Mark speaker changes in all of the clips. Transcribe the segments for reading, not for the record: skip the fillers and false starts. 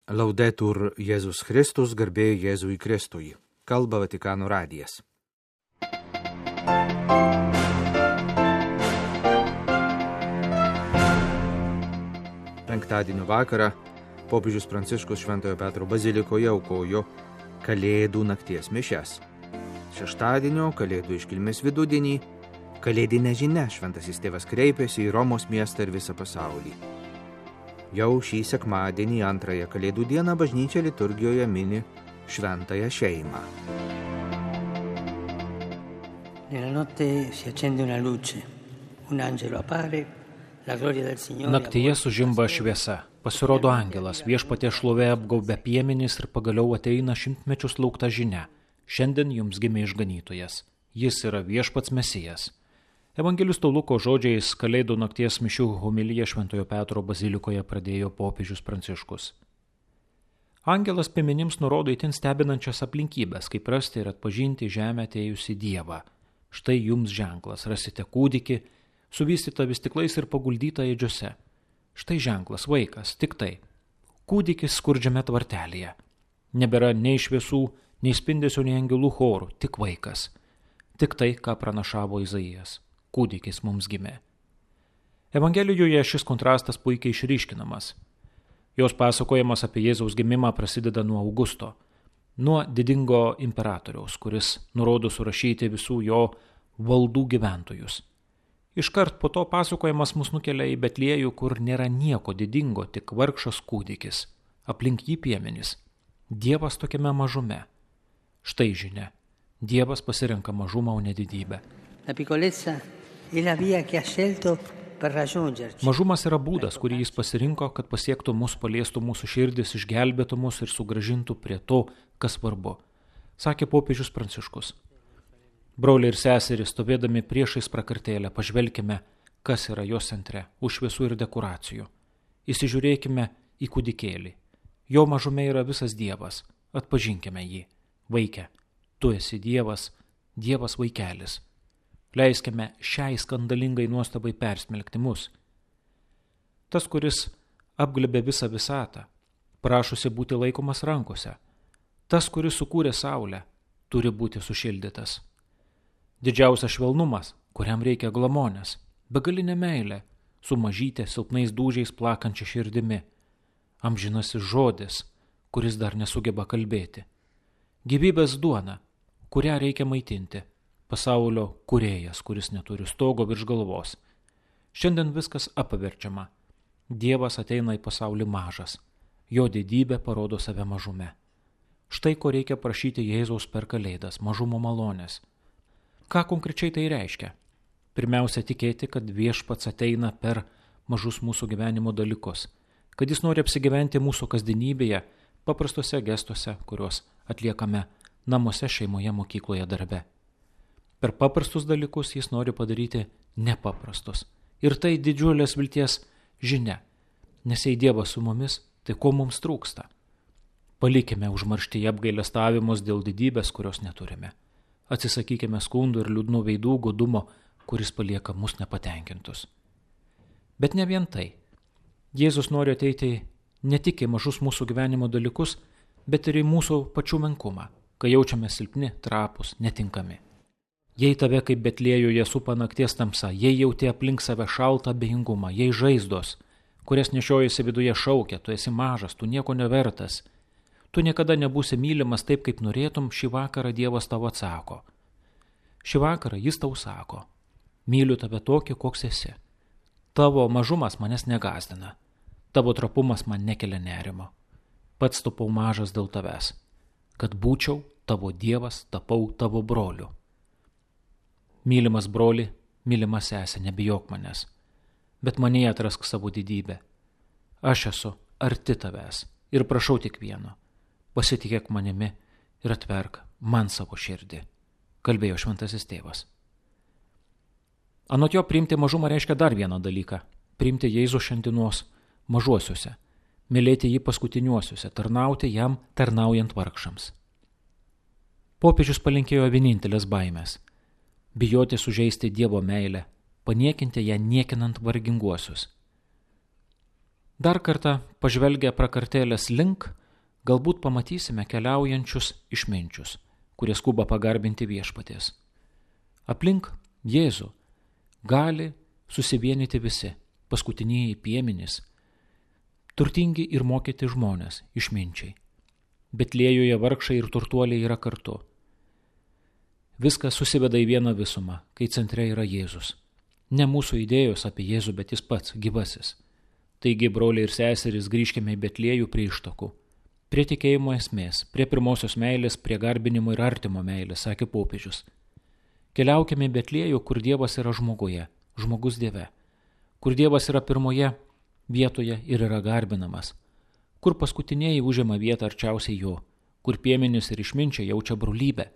Speaker 1: Laudetur Jėzus Kristus, garbė Jėzui Kristui. Kalba Vatikano radijas. Penktadienio vakarą popiežius Pranciškus Šventojo Petro bazilikoje aukojo Kalėdų nakties mišias. Šeštadienio Kalėdų iškilmės vidudienį kalėdinė žinia Šventasis Tėvas kreipėsi į Romos miestą ir visą pasaulį. Jau šį sekmadienį, antrąją Kalėdų dieną, bažnyčia liturgijoje mini šventąją šeimą.
Speaker 2: Naktyje sužimba šviesa, pasirodo angelas, viešpaties šlovė apgaubia piemenis ir pagaliau ateina šimtmečius laukta žinia. Šiandien jums gimė išganytojas, jis yra viešpats Mesijas. Evangelisto Luko žodžiais Kalėdų nakties mišių homiliją Šventojo Petro bazilikoje pradėjo popiežius Pranciškus. Angelas piemenims nurodo itin stebinančias aplinkybės, kaip rasti ir atpažinti žemę atėjusį Dievą. Štai jums ženklas, rasite kūdikį, suvystytą vystyklais ir paguldytą ėdžiose. Štai ženklas, vaikas, tik tai. Kūdikis skurdžiame tvartelėje. Nebėra nei šviesų, nei spindesio, nei angelų chorų, tik vaikas. Tik tai, ką pranašavo Izaijas. Kūdikis mums gimė. Evangelijoje šis kontrastas puikiai išryškinamas. Jos pasakojimas apie Jėzaus gimimą prasideda nuo Augusto, nuo didingo imperatoriaus, kuris nurodo surašyti visų jo valdų gyventojus. Iškart po to pasakojimas mus nukelia į Betliejų, kur nėra nieko didingo, tik vargšas kūdikis, aplink jį piemenys. Dievas tokiame mažume. Štai žinia. Dievas pasirenka mažumą, o ne didybę. Mažumas yra būdas, kurį jis pasirinko, kad pasiektų mus, paliestų mūsų širdis, išgelbėtų mus ir sugrąžintų prie to, kas svarbu, sakė popiežius Pranciškus. Broliai ir seserys, stovėdami priešais prakartėlę, pažvelkime, kas yra jos centre, už šviesų ir dekoracijų. Įsižiūrėkime į kūdikėlį. Jo mažume yra visas Dievas. Atpažinkime jį. Vaike, tu esi Dievas, Dievas vaikelis. Leiskime šiai skandalingai nuostabai persmelkti mus. Tas, kuris apglėbė visą visatą, prašosi būti laikomas rankose. Tas, kuris sukūrė saulę, turi būti sušildytas. Didžiausias švelnumas, kuriam reikia glamonės, begalinė meilė, su mažytė silpnais dūžiais plakančia širdimi. Amžinasis žodis, kuris dar nesugeba kalbėti. Gyvybės duona, kurią reikia maitinti. Pasaulio kūrėjas, kuris neturi stogo virš galvos. Šiandien viskas apaverčiama. Dievas ateina į pasaulį mažas. Jo didybė parodo save mažume. Štai ko reikia prašyti Jėzaus per Kalėdas, mažumo malonės. Ką konkrečiai tai reiškia? Pirmiausia, tikėti, kad viešpats ateina per mažus mūsų gyvenimo dalykus, kad jis nori apsigyventi mūsų kasdienybėje, paprastuose gestuose, kuriuos atliekame namuose, šeimoje, mokykloje, darbe. Per paprastus dalykus jis nori padaryti nepaprastus. Ir tai didžiulės vilties žinia. Nes jei Dievas su mumis, tai ko mums trūksta? Palikime užmarštyje apgailestavimus dėl didybės, kurios neturime. Atsisakykime skundų ir liūdnų veidų godumo, kuris palieka mus nepatenkintus. Bet ne vien tai. Jėzus nori ateiti ne tik į mažus mūsų gyvenimo dalykus, bet ir į mūsų pačių menkumą, kai jaučiame silpni, trapus, netinkami. Jei tave kaip Betliejuje supa nakties tamsa, jei jauti aplink save šaltą abejingumą, jei žaizdos, kurias nešiojasi viduje šaukia, tu esi mažas, tu nieko nevertas, tu niekada nebūsi mylimas taip, kaip norėtum, šį vakarą Dievas tau atsako. Šį vakarą jis tau sako, myliu tave tokį, koks esi. Tavo mažumas manęs negąsdina, tavo trapumas man nekelia nerimo. Pats tapau mažas dėl tavęs, kad būčiau tavo Dievas, tapau tavo broliu. Mylimas broli, mylimas sesė, nebijok manęs, bet manyje atrask savo didybę. Aš esu arti tavęs ir prašau tik vieno, pasitikėk manimi ir atverk man savo širdį, kalbėjo Šventasis Tėvas. Anot jo priimti mažumą reiškia dar vieną dalyką, priimti Jėzų šiandienos mažuosiuose, mylėti jį paskutiniuosiuose, tarnauti jam tarnaujant vargšams. Popiežius palinkėjo vienintelės baimės – bijoti sužeisti Dievo meilę, paniekinti ją niekinant varginguosius. Dar kartą pažvelgę prakartėlės link, Galbūt pamatysime keliaujančius išminčius, kurie skuba pagarbinti viešpaties. Aplink Jėzų gali susivienyti visi, paskutinieji piemenys, turtingi ir mokyti žmonės, išminčiai. Betlėjuje vargšai ir turtuoliai yra kartu. Viskas susiveda į vieną visumą, kai centre yra Jėzus. Ne mūsų idėjos apie Jėzų, bet jis pats, gyvasis. Taigi, broliai ir seserys, grįžkime į Betliejų prie ištakų. Prie tikėjimo esmės, prie pirmosios meilės, prie garbinimo ir artimo meilės, sakė popiežius. Keliaukime į Betliejų, kur Dievas yra žmoguje, žmogus Dieve, kur Dievas yra pirmoje vietoje ir yra garbinamas, kur paskutiniai užima vietą arčiausiai jo, kur piemenys ir išminčiai jaučia brolybę,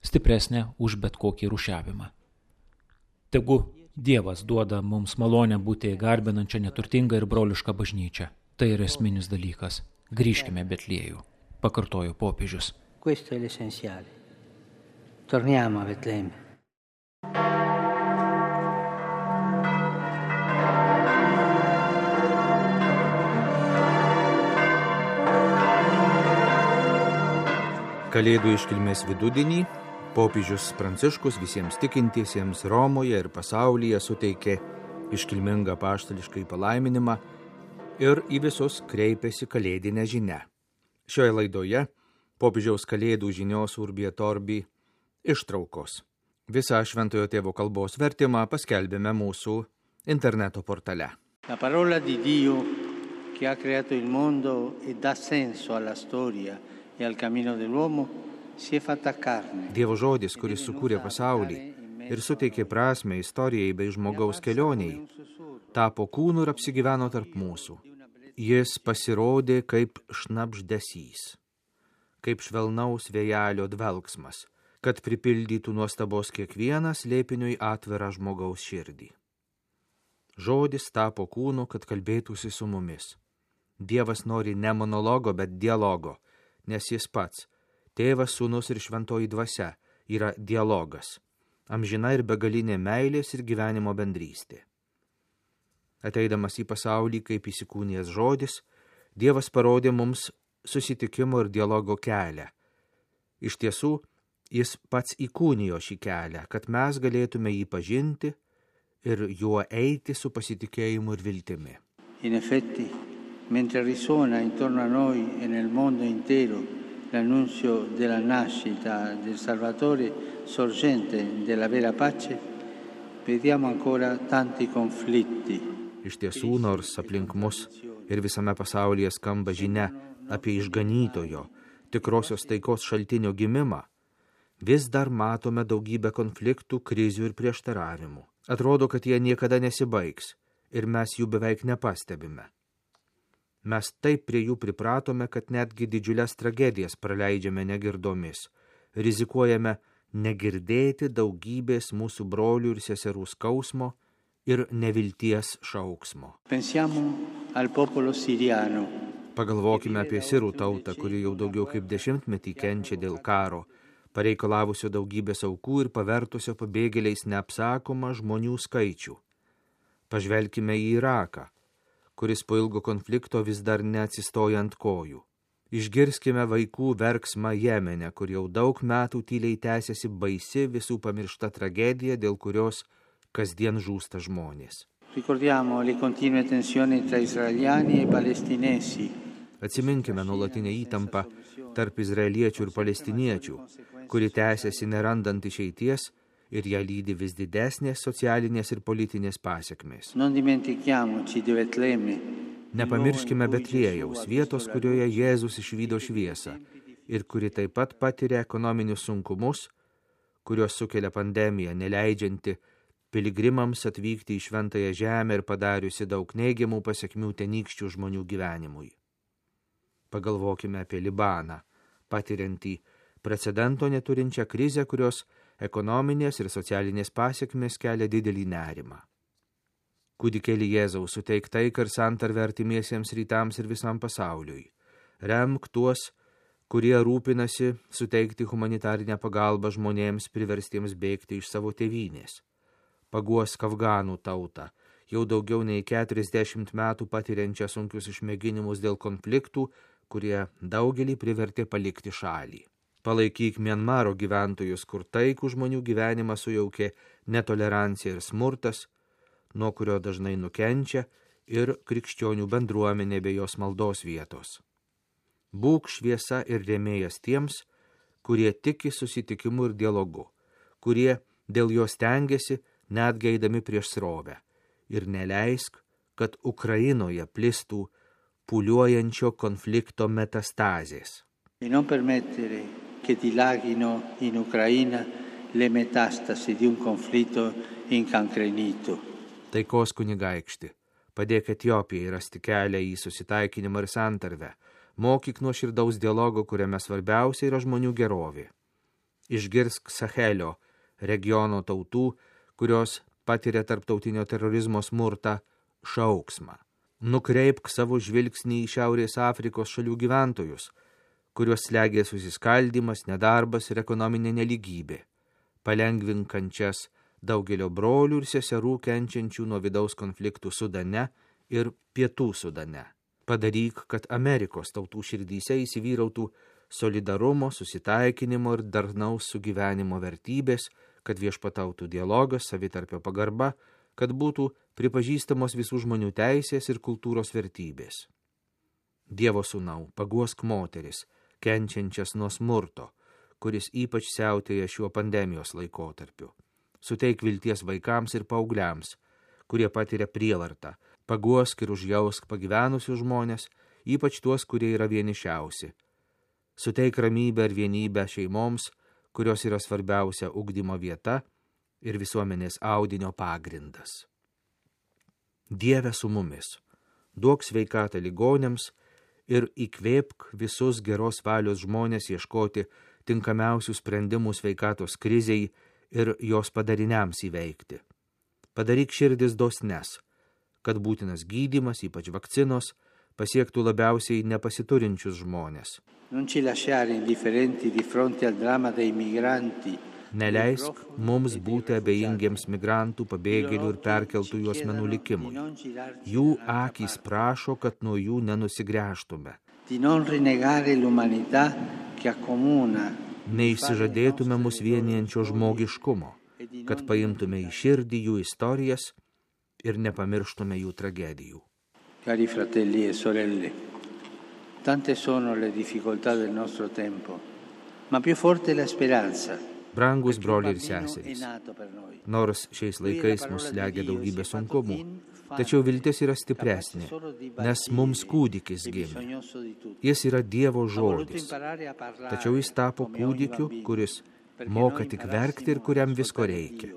Speaker 2: stipresnė už bet kokį rūšiavimą. Tegu Dievas duoda mums malonę būti garbinančią neturtingą ir brolišką bažnyčią. Tai yra esminis dalykas. Grįžkime Betliejų, pakartojo popiežius.
Speaker 3: Questo è l'essenziale. Torniamo a Betlemme.
Speaker 1: Kalėdų iškilmės vidudienį popiežius Pranciškus visiems tikintiesiems Romoje ir pasaulyje suteikė iškilmingą apaštališką palaiminimą ir į visus kreipėsi kalėdinę žinią. Šioje laidoje popiežiaus kalėdų žinios Urbi et Orbi ištraukos. Visą Šventojo Tėvo kalbos vertimą paskelbėme mūsų interneto portale.
Speaker 3: La parola di Dio che ha creato il mondo e dà senso alla storia e al cammino dell'uomo si è fatta carne.
Speaker 1: Dievo žodis, kuris sukūrė pasaulį ir suteikė prasmę istorijai bei žmogaus kelioniai, tapo kūnu ir apsigyveno tarp mūsų. Jis pasirodė kaip šnabždesys, kaip švelnaus vėjelio dvelksmas, kad pripildytų nuostabos kiekvieną slėpiniui atvirą žmogaus širdį. Žodis tapo kūnu, kad kalbėtųsi su mumis. Dievas nori ne monologo, bet dialogo, nes jis pats, Tėvas, Sūnus ir Šventoji Dvasia, yra dialogas, amžina ir begalinė meilės ir gyvenimo bendrystė. Ateidamas į pasaulį kaip įsikūnijęs žodis, Dievas parodė mums susitikimo ir dialogo kelią. Iš tiesų, jis pats įkūnijo šį kelią, kad mes galėtume jį pažinti ir juo eiti su pasitikėjimu ir viltimi.
Speaker 3: In effetti, mentre risuona intorno a noi e nel mondo intero l'annunzio della nascita del Salvatore, sorgente della vera pace, vediamo ancora tanti conflitti.
Speaker 1: Iš tiesų, nors aplink mus ir visame pasaulyje skamba žinia apie išganytojo, tikrosios taikos šaltinio gimimą, vis dar matome daugybę konfliktų, krizių ir prieštaravimų. Atrodo, kad jie niekada nesibaigs ir mes jų beveik nepastebime. Mes taip prie jų pripratome, kad netgi didžiulės tragedijas praleidžiame negirdomis, rizikuojame negirdėti daugybės mūsų brolių ir seserų skausmo ir nevilties šauksmo.
Speaker 3: Pensiamo al popolo siriano.
Speaker 1: Pagalvokime apie sirų tautą, kuri jau daugiau kaip 10 metį kenčia dėl karo, pareikalavusio daugybės aukų ir pavertusio pabėgėliais neapsakomą žmonių skaičių. Pažvelkime į Iraką, kuris po ilgo konflikto vis dar neatsistoja ant kojų. Išgirskime vaikų verksmą Jemene, kur jau daug metų tyliai tęsiasi baisi visų pamiršta tragedija, dėl kurios kasdien žūsta žmonės.
Speaker 3: Ricordiamo le continue tensioni tra israeliani e palestinesi.
Speaker 1: Atsiminkime nuolatinę įtampą tarp izraeliečių ir palestiniečių, kuri tęsiasi nerandant išeities ir ją lydi vis didesnės socialinės ir politinės pasekmės. Nepamirškime Betliejaus, vietos, kurioje Jėzus išvydo šviesą ir kuri taip pat patiria ekonominius sunkumus, kurios sukelia pandemija, neleidžianti piligrimams atvykti į šventąją žemę ir padariusi daug neigiamų pasekmių tenykščių žmonių gyvenimui. Pagalvokime apie Libaną, patiriantį precedento neturinčią krizę, kurios ekonominės ir socialinės pasekmės kelia didelį nerimą. Kūdikėlį Jėzaus suteik taiką ir santarvę artimiesiems rytams ir visam pasauliui. Remk tuos, kurie rūpinasi suteikti humanitarinę pagalbą žmonėms priverstiems bėgti iš savo tėvynės. Paguosk afganų tautą, jau daugiau nei 40 metų patiriančią sunkius išmėginimus dėl konfliktų, kurie daugelį privertė palikti šalį. Palaikyk Mianmaro gyventojus, kur taikų žmonių gyvenimą sujaukė netolerancija ir smurtas, nuo kurio dažnai nukenčia ir krikščionių bendruomenė bei jos maldos vietos. Būk šviesa ir rėmėjas tiems, kurie tiki susitikimu ir dialogu, kurie dėl jo stengiasi net eidami prieš srovę, ir neleisk, kad Ukrainoje plistų pūliuojančio konflikto metastazės.
Speaker 3: E non permettere che dilaghino in Ucraina le metastasi di un conflitto incancrenito.
Speaker 1: Taikos kunigaikšti, padėk Etiopijai rasti kelią į susitaikinimą ir santarvę, mokyk nuoširdaus dialogo, kuriame svarbiausia yra žmonių gerovė. Išgirsk Sahelio regiono tautų, kurios patiria tarptautinio terorizmo smurtą, šauksmą. Nukreipk savo žvilgsnį į Šiaurės Afrikos šalių gyventojus, kuriuos slegia susiskaldymas, nedarbas ir ekonominė neligybė. Palengvink kančias daugelio brolių ir seserų kenčiančių nuo vidaus konfliktų Sudane ir Pietų Sudane. Padaryk, kad Amerikos tautų širdyse įsivyrautų solidarumo, susitaikinimo ir darnaus sugyvenimo vertybės, kad viešpatautų dialogas, savitarpio pagarba, kad būtų pripažįstamos visų žmonių teisės ir kultūros vertybės. Dievo sūnau, paguosk moteris, kenčiančias nuo smurto, kuris ypač siautėja šiuo pandemijos laikotarpiu. Suteik vilties vaikams ir paaugliams, kurie patiria prievartą. Paguosk ir užjausk pagyvenusius žmonės, ypač tuos, kurie yra vienišiausi. Suteik ramybę ir vienybę šeimoms, kurios yra svarbiausia ugdymo vieta ir visuomenės audinio pagrindas. Dieve su mumis, duok sveikatą ligonėms ir įkvėpk visus geros valios žmonės ieškoti tinkamiausių sprendimų sveikatos krizei ir jos padariniams įveikti. Padaryk širdis dosnes, kad būtinas gydymas, ypač vakcinos, pasiektų labiausiai nepasiturinčius žmonės. Neleisk mums būti abejingiems migrantų, pabėgėlių ir perkeltųjų asmenų likimui. Jų akys prašo, kad nuo jų nenusigręžtume. Neišsižadėtume mus vienijančio žmogiškumo, kad paimtume į širdį jų istorijas ir nepamirštume jų tragedijų.
Speaker 3: Cari fratelli e sorelle, tante sono le difficoltà del nostro tempo, ma più forte la speranza.
Speaker 1: Brangus broliai ir seserys, nors šiais laikais mus slegia daugybė sunkumų, tačiau viltis yra stipresnė, nes mums kūdikis gimė. Jis yra Dievo žodis, tačiau jis tapo kūdikiu, kuris moka tik verkti ir kuriam visko reikia.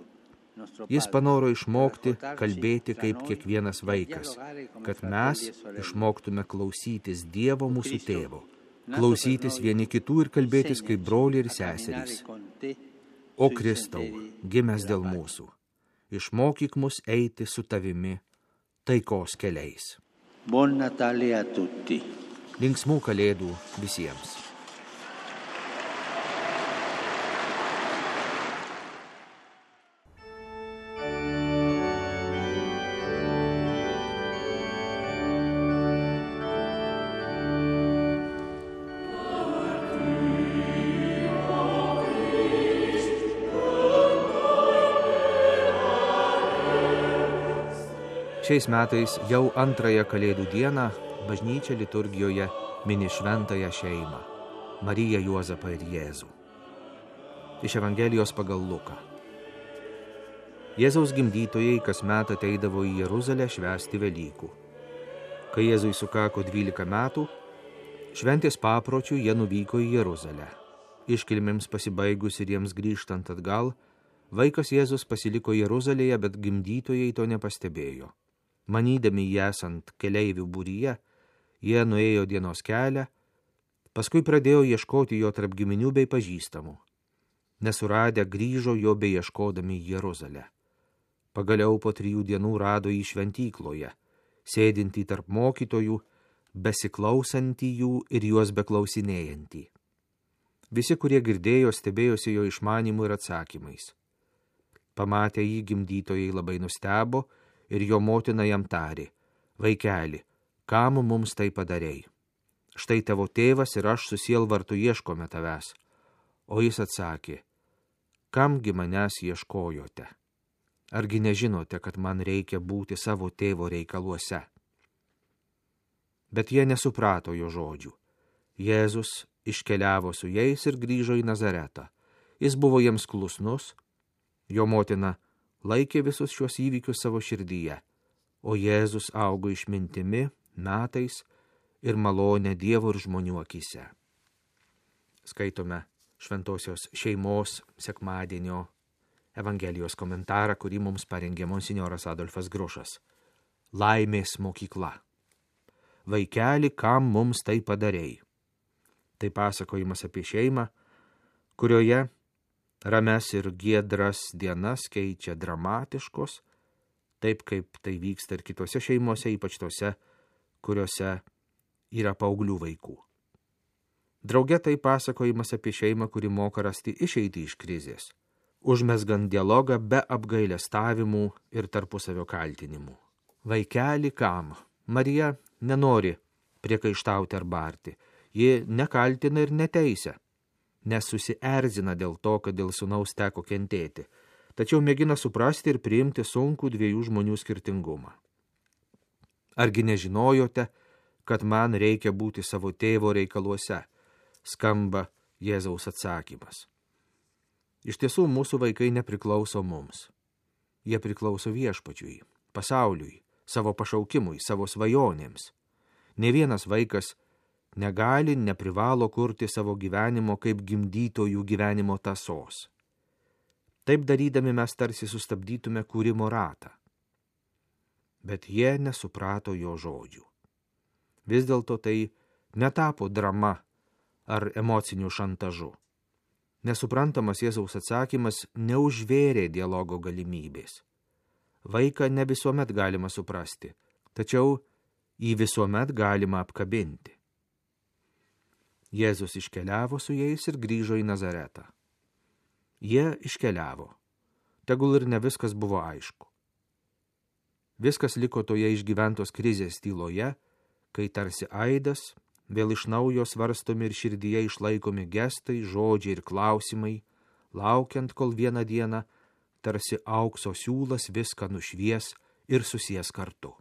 Speaker 1: Jis panoro išmokti kalbėti kaip kiekvienas vaikas, kad mes išmoktume klausytis Dievo mūsų tėvo, klausytis vieni kitų ir kalbėtis kaip broliai ir seserys. O Kristau, gimęs dėl mūsų, išmokyk mus eiti su tavimi taikos keliais.
Speaker 3: Buon Natale a tutti.
Speaker 1: Linksmų kalėdų visiems. Šiais metais jau antrąją kalėdų dieną bažnyčia liturgijoje mini šventąją šeimą – Mariją, Juozapą ir Jėzų. Iš Evangelijos pagal Luką. Jėzaus gimdytojai kasmet ateidavo į Jeruzalę švęsti Velykų. Kai Jėzui sukako 12 metų, šventės papročių jie nuvyko į Jeruzalę. Iškilmėms pasibaigus ir jiems grįžtant atgal, vaikas Jėzus pasiliko Jeruzalėje, bet gimdytojai to nepastebėjo. Manydami jį esant keleivių būryje, jie nuėjo dienos kelią, paskui pradėjo ieškoti jo tarp giminių bei pažįstamų. Nesuradę grįžo jo bei ieškodami į Jeruzalę. Pagaliau po 3 dienų rado jį šventykloje, sėdintį tarp mokytojų, besiklausantį jų ir juos beklausinėjantį. Visi, kurie girdėjo, stebėjosi jo išmanymu ir atsakymais. Pamatę jį, gimdytojai labai nustebo, ir jo motina jam tarė: Vaikeli, kam mums tai padarei? štai tavo tėvas ir aš su sielvartu ieškome tavęs. O jis atsakė, kamgi manęs ieškojote? Argi nežinote, kad man reikia būti savo tėvo reikaluose? Bet jie nesuprato jo žodžių. Jėzus iškeliavo su jais ir grįžo į Nazaretą. Jis buvo jiems klusnus, jo motina laikė visus šios įvykius savo širdyje, o Jėzus augo išmintimi, metais ir malonė Dievo ir žmonių akyse. Skaitome Šventosios šeimos sekmadienio Evangelijos komentarą, kurį mums parengė monsinjoras Adolfas Grušas. Laimės mokykla. Vaikeli, kam mums tai padarei? Tai pasakojimas apie šeimą, kurioje rames ir giedras dienas keičia dramatiškos, taip kaip tai vyksta ir kitose šeimose, ypač tose, kuriuose yra paauglių vaikų. Drauge tai pasakojimas apie šeimą, kuri moka rasti išeitį iš krizės, užmesgant dialogą be apgailestavimų ir tarpusavio kaltinimų. Vaikeli kam? Marija nenori priekaištauti ar barti. Ji nekaltina ir neteisia, nes susierzina dėl to, kad dėl sūnaus teko kentėti, tačiau mėgina suprasti ir priimti sunkų dviejų žmonių skirtingumą. Argi nežinojote, kad man reikia būti savo tėvo reikaluose? Skamba Jėzaus atsakymas. Iš tiesų, mūsų vaikai nepriklauso mums. Jie priklauso viešpačiui, pasauliui, savo pašaukimui, savo svajonėms. Ne vienas vaikas negali, neprivalo kurti savo gyvenimo kaip gimdytojų gyvenimo tąsos. Taip darydami mes tarsi sustabdytume kūrimo ratą. Bet jie nesuprato jo žodžių. Vis dėlto tai netapo drama ar emociniu šantažu. Nesuprantamas Jėzaus atsakymas neužvėrė dialogo galimybės. Vaiką ne visuomet galima suprasti, tačiau jį visuomet galima apkabinti. Jėzus iškeliavo su jais ir grįžo į Nazaretą. Jie iškeliavo. Tegul ir ne viskas buvo aišku. Viskas liko toje išgyventos krizės tyloje, kai tarsi aidas, vėl iš naujo svarstomi ir širdyje išlaikomi gestai, žodžiai ir klausimai, laukiant, kol vieną dieną tarsi aukso siūlas viską nušvies ir susies kartu.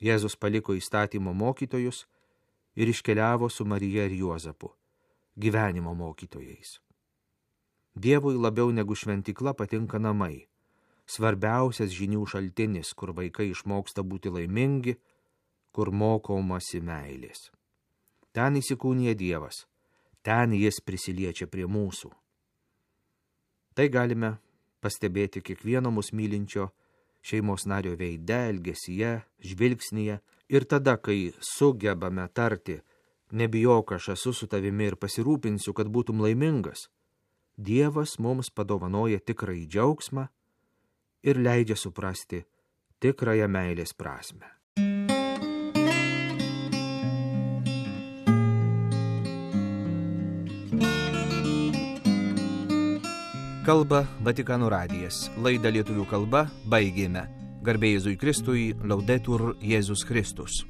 Speaker 1: Jėzus paliko įstatymo mokytojus ir iškeliavo su Marija ir Juozapu, gyvenimo mokytojais. Dievui labiau negu šventykla patinka namai, svarbiausias žinių šaltinis, kur vaikai išmoksta būti laimingi, kur mokomasi meilės. Ten įsikūnija Dievas, ten jis prisiliečia prie mūsų. Tai galime pastebėti kiekvieno mus mylinčio šeimos nario veide, elgesyje, žvilgsnyje ir tada, kai sugebame tarti, nebijok, aš esu su tavimi ir pasirūpinsiu, kad būtum laimingas, Dievas mums padovanoja tikrąjį džiaugsmą ir leidžia suprasti tikrąją meilės prasmę. Kalba Vatikano radijas. Laidą lietuvių kalba baigėme. Garbė Jėzui Kristui, Laudetur Jėzus Kristus.